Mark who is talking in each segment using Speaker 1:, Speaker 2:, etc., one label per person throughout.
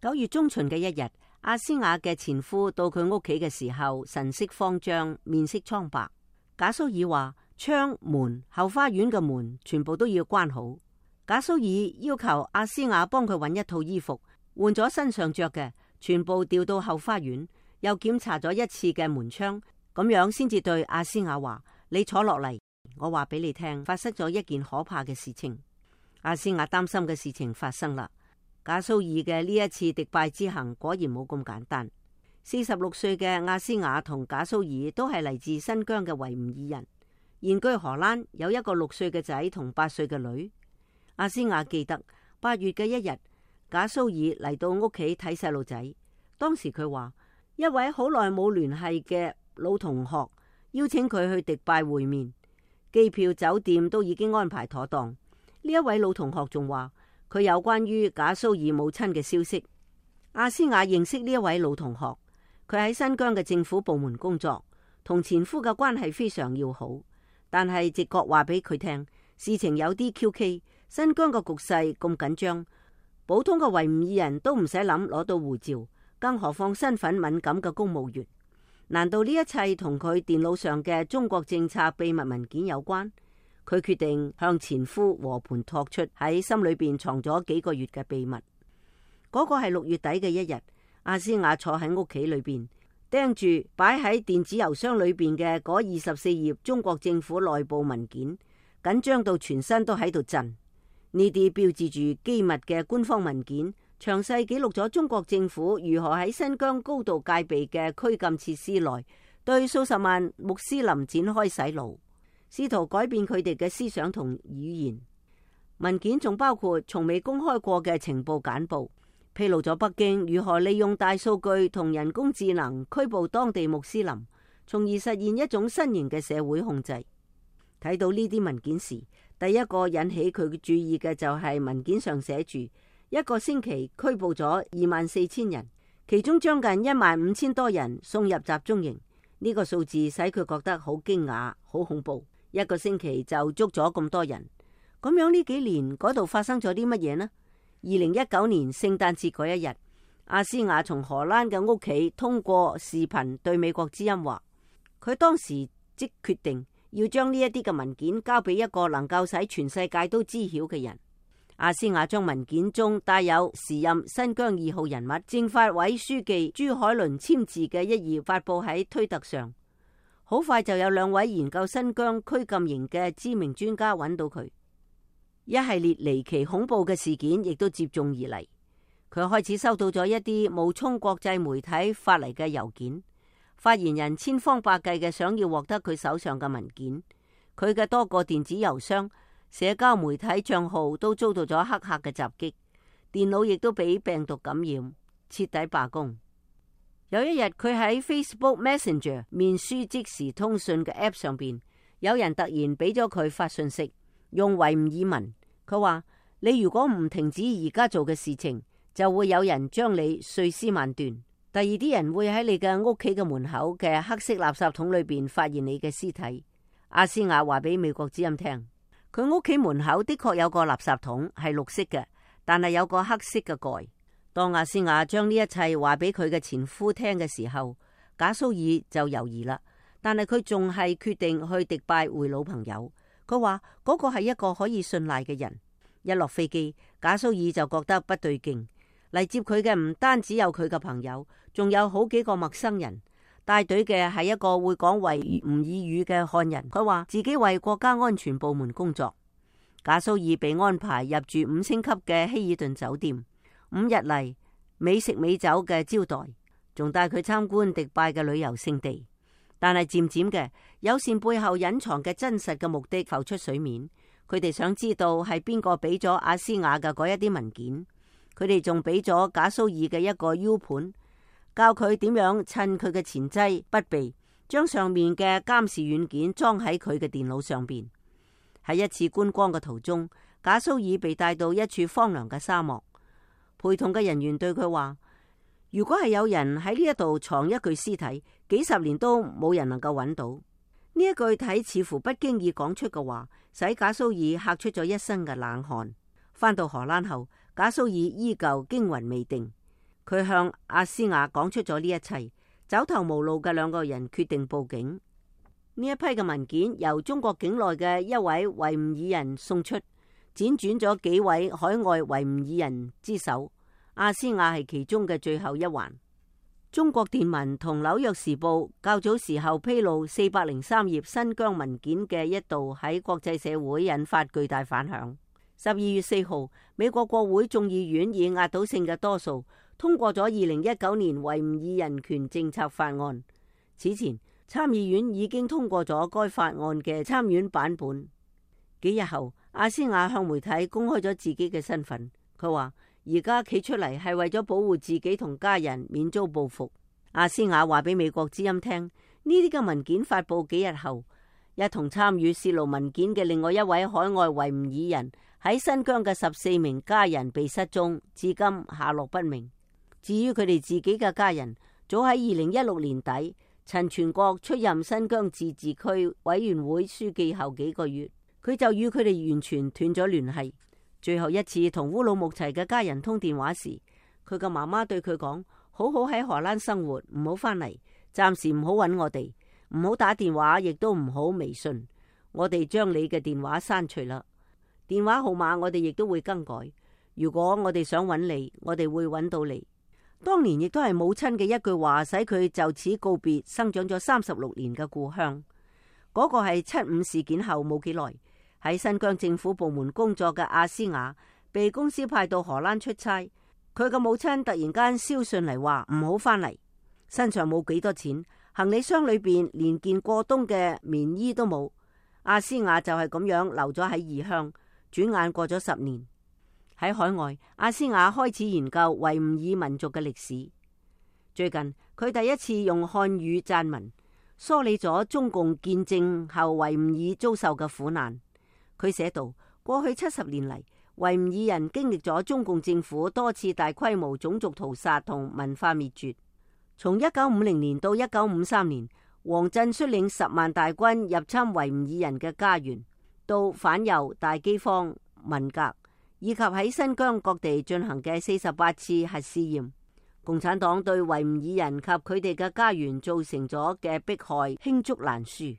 Speaker 1: 9月中旬嘅一日，阿斯雅嘅前夫到佢屋企嘅時候，神色慌張，面色蒼白。賈蘇爾話：窗門、後花園嘅門全部都要關好。賈蘇爾要求阿斯雅幫佢揾一套衣服，換咗身上着嘅，全部調到後花園，又檢查咗一次嘅門窗，咁樣先至對阿斯雅話：你坐落嚟，我話俾你聽，發生咗一件可怕嘅事情。阿斯雅擔心嘅事情發生啦。賈蘇爾嘅呢一次迪拜之行果然冇咁簡單。46歲嘅阿斯雅同賈蘇爾都係嚟自新疆嘅維吾爾人，現居荷蘭，有一個6歲嘅仔同8歲嘅女。阿斯雅記得8月嘅一日，賈蘇爾嚟到屋企睇細路仔，當時佢話一位好耐冇聯繫嘅老同學邀請佢去迪拜會面，機票酒店都已經安排妥當。呢一位老同學仲話佢有關於賈蘇爾母親嘅消息。阿斯雅認識呢一位老同學，佢喺新疆嘅政府部門工作，同前夫嘅關係非常要好。但係直覺話俾佢聽，事情有啲蹊蹺。新疆嘅局勢咁緊張，普通嘅維吾爾人都唔使諗攞到護照，更何況身份敏感嘅公務員。難道呢一切同佢電腦上嘅中國政策秘密文件有關？佢決定向前夫和盤托出喺心裏邊藏咗幾個月嘅秘密。嗰個係6月底嘅一日，阿斯雅坐喺屋企裏邊，盯住擺喺電子郵箱裏邊嘅嗰24頁中國政府內部文件，緊張到全身都喺度震。呢啲標誌住機密嘅官方文件，詳細記錄咗中國政府如何喺新疆高度戒備嘅拘禁設施內，對數十萬穆斯林展開洗腦，試圖改變佢哋嘅思想同語言。文件仲包括從未公開過嘅情報簡報，披露咗北京如何利用大數據同人工智能拘捕當地穆斯林，從而實現一種新型嘅社會控制。睇到呢啲文件時，第一個引起佢注意嘅就係文件上寫住一個星期拘捕咗24,000人，其中將近15,000多人送入集中營。呢個數字使佢覺得好驚訝、好恐怖。一個星期就捉咗咁多人，咁樣呢幾年嗰度發生咗啲乜嘢呢？2019年聖誕節嗰一日，阿斯雅從荷蘭嘅屋企通過視頻對美國之音話，佢當時即決定要將呢一啲嘅文件交俾一個能夠使全世界都知曉嘅人。阿斯雅將文件中帶有時任新疆2號人物政法委書記朱海倫簽字嘅一頁發佈喺推特上。好快就有2位研究新疆拘禁營嘅知名專家揾到佢。一系列離奇恐怖嘅事件亦都接踵而嚟。佢開始收到咗一啲冒充國際媒體發嚟嘅郵件，發言人千方百計嘅想要獲得佢手上嘅文件。佢嘅多個電子郵箱、社交媒體賬號都遭到咗黑客嘅襲擊，電腦亦都俾病毒感染，徹底罷工。有一日，佢喺 Facebook Messenger 面書即時通訊嘅 App 上邊，有人突然俾咗佢發信息，用維吾爾文。佢話：你如果唔停止而家做嘅事情，就會有人將你碎屍萬段。第二啲人會喺你嘅屋企嘅門口嘅黑色垃圾桶裏邊發現你嘅屍體。阿斯雅話俾美國之音聽，佢屋企門口的確有個垃圾桶係綠色嘅，但係有個黑色嘅蓋。當阿斯雅將呢一切話俾佢嘅前夫聽嘅時候，賈蘇爾就猶豫啦，但係佢仲係決定去迪拜會老朋友。佢話嗰個係一個可以信賴嘅人。一落飛機，賈蘇爾就覺得不對勁。嚟接佢嘅唔單止有佢嘅朋友，仲有好幾個陌生人。帶隊嘅係一個會講維吾爾語嘅漢人，佢話自己為國家安全部門工作。賈蘇爾被安排入住5星級嘅希爾頓酒店，5日嚟美食美酒嘅招待，仲帶佢參觀迪拜嘅旅遊勝地。但係漸漸嘅，友善背後隱藏嘅真實嘅目的浮出水面。佢哋想知道係邊個俾咗阿斯雅嘅嗰一啲文件。佢哋仲俾咗賈蘇爾嘅一個 U 盤，教佢點樣趁佢嘅前妻不備，將上面嘅監視軟件裝喺佢嘅電腦上邊。喺一次觀光嘅途中，賈蘇爾被帶到一處荒涼嘅沙漠，陪同嘅人員對佢話：如果係有人喺呢一度藏一具屍體，幾十年都冇人能夠揾到。呢一句睇似乎不經意講出嘅話，使賈蘇爾嚇出咗一身嘅冷汗。返到荷蘭後，賈蘇爾依舊驚魂未定。佢向阿斯雅講出咗呢一切，走投無路嘅兩個人決定報警。呢一批嘅文件由中國境內嘅一位維吾爾人送出，輾轉咗幾位海外維吾爾人之手，阿斯雅係其中嘅最後一環。中國電文同紐約時報較早時候披露403頁新疆文件嘅一度喺國際社會引發巨大反響。12月4號，美國國會眾議院以壓倒性嘅多數通過咗2019年維吾爾人權政策法案。此前，參議院已經通過咗該法案嘅參院版本。幾日後，阿斯雅向媒體公開咗自己嘅身份。佢話而家企出嚟係為咗保護自己同家人免遭報復。阿斯雅話俾美國之音聽，呢啲嘅文件發佈幾日後，一同參與洩露文件嘅另外一位海外維吾爾人喺新疆嘅14名家人被失蹤，至今下落不明。至於佢哋自己嘅家人，早喺2016年底，陳全國出任新疆自治區委員會書記後幾個月，佢就與佢哋完全斷咗聯繫。最後一次同烏魯木齊嘅家人通電話時，佢嘅媽媽對佢講：好好喺荷蘭生活，唔好返嚟，暫時唔好搵我哋，唔好打電話，亦都唔好微信。我哋將你嘅電話刪除啦，電話號碼我哋亦都會更改。如果我哋想搵你，我哋會搵到你。當年亦都係母親嘅一句話，使佢就此告別生長咗36年嘅故鄉。嗰個係75事件後冇幾耐，喺新疆政府部門工作嘅阿斯雅被公司派到荷蘭出差，佢嘅母親突然間捎信嚟話唔好返嚟，身上冇幾多錢，行李箱裏邊連件過冬嘅棉衣都冇。阿斯雅就係咁樣留咗喺異鄉，轉眼過咗10年。喺海外，阿斯雅開始研究維吾爾民族嘅歷史。最近佢第一次用漢語撰文，梳理咗中共建政後維吾爾遭受嘅苦難。佢寫道：過去70年嚟，維吾爾人經歷咗中共政府多次大規模種族屠殺同文化滅絕。從1950年到1953年，王震率領10萬大軍入侵維吾爾人嘅家園，到反右、大饑荒、文革，以及喺新疆各地進行嘅48次核試驗。共產黨對維吾爾人及佢哋嘅家園造成咗嘅迫害罄竹難書。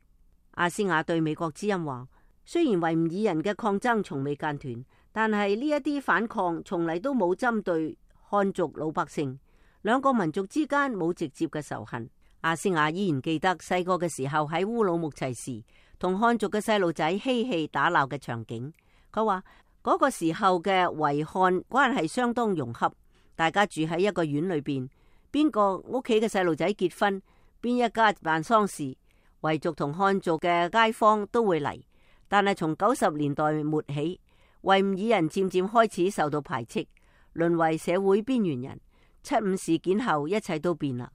Speaker 1: 阿斯雅對美國之音話：雖然維吾爾人嘅抗爭從未間斷，但係呢一啲反抗從嚟都冇針對漢族老百姓，兩個民族之間冇直接嘅仇恨。阿斯雅依然記得細個嘅時候喺烏魯木齊時，同漢族嘅細路仔嬉戲打鬧嘅場景。佢話嗰個時候嘅維漢關係相當融洽，大家住喺一個院裏邊，邊個屋企嘅細路仔結婚，邊一家辦喪事，維族同漢族嘅街坊都會嚟。但係從90年代末起，維吾爾人漸漸開始受到排斥，淪為社會邊緣人。75事件後，一切都變啦。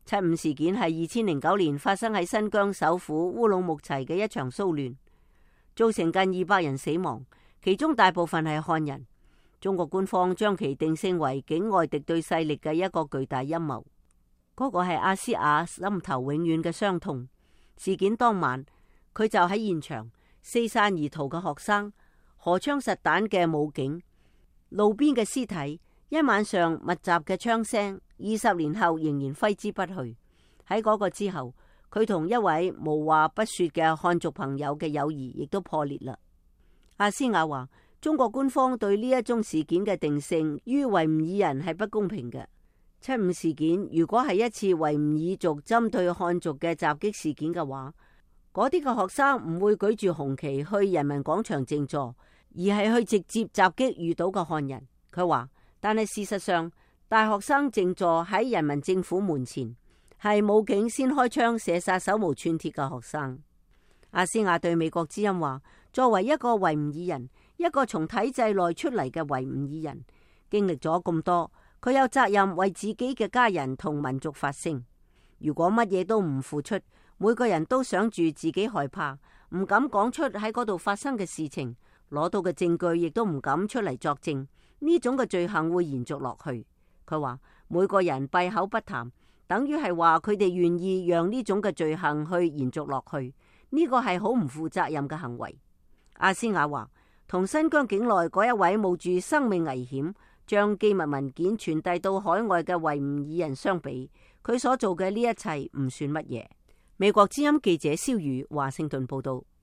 Speaker 1: 75事件係2009年發生喺新疆首府烏魯木齊嘅一場騷亂，造成近200人死亡，其中大部分係漢人。中國官方將其定性為境外敵對勢力嘅一個巨大陰謀。嗰個係阿斯雅心頭永遠嘅傷痛。事件當晚，佢就喺現場，四散而逃嘅學生，荷槍實彈嘅武警，路邊嘅屍體，一晚上密集嘅槍聲，20年後仍然揮之不去。喺嗰個之後，佢同一位無話不說嘅漢族朋友嘅友誼亦都破裂啦。阿斯雅話：中國官方對呢一宗事件嘅定性於維吾爾人係不公平嘅。75事件如果係一次維吾爾族針對漢族嘅襲擊事件嘅話，嗰啲嘅學生唔會舉住紅旗去人民廣場靜坐，而係去直接襲擊遇到嘅漢人。佢話：但係事實上，大學生靜坐喺人民政府門前，係武警先開槍射殺手無寸鐵嘅學生。阿斯雅對美國之音話：作為一個維吾爾人，一個從體制內出嚟嘅維吾爾人，經歷咗咁多，佢有責任為自己嘅家人同民族發聲。如果乜嘢都唔付出，每個人都想住自己害怕，唔敢講出喺嗰度發生嘅事情，攞到嘅證據亦都唔敢出嚟作證，呢種嘅罪行會延續落去。佢話每個人閉口不談，等於係話佢哋願意讓呢種嘅罪行去延續落去，呢個係好唔負責任嘅行為。阿斯雅話：同新疆境內嗰一位冒住生命危險將機密文件傳遞到海外嘅維吾爾人相比，佢所做嘅呢一切唔算乜嘢。美國之音記者蕭宇華盛頓報道。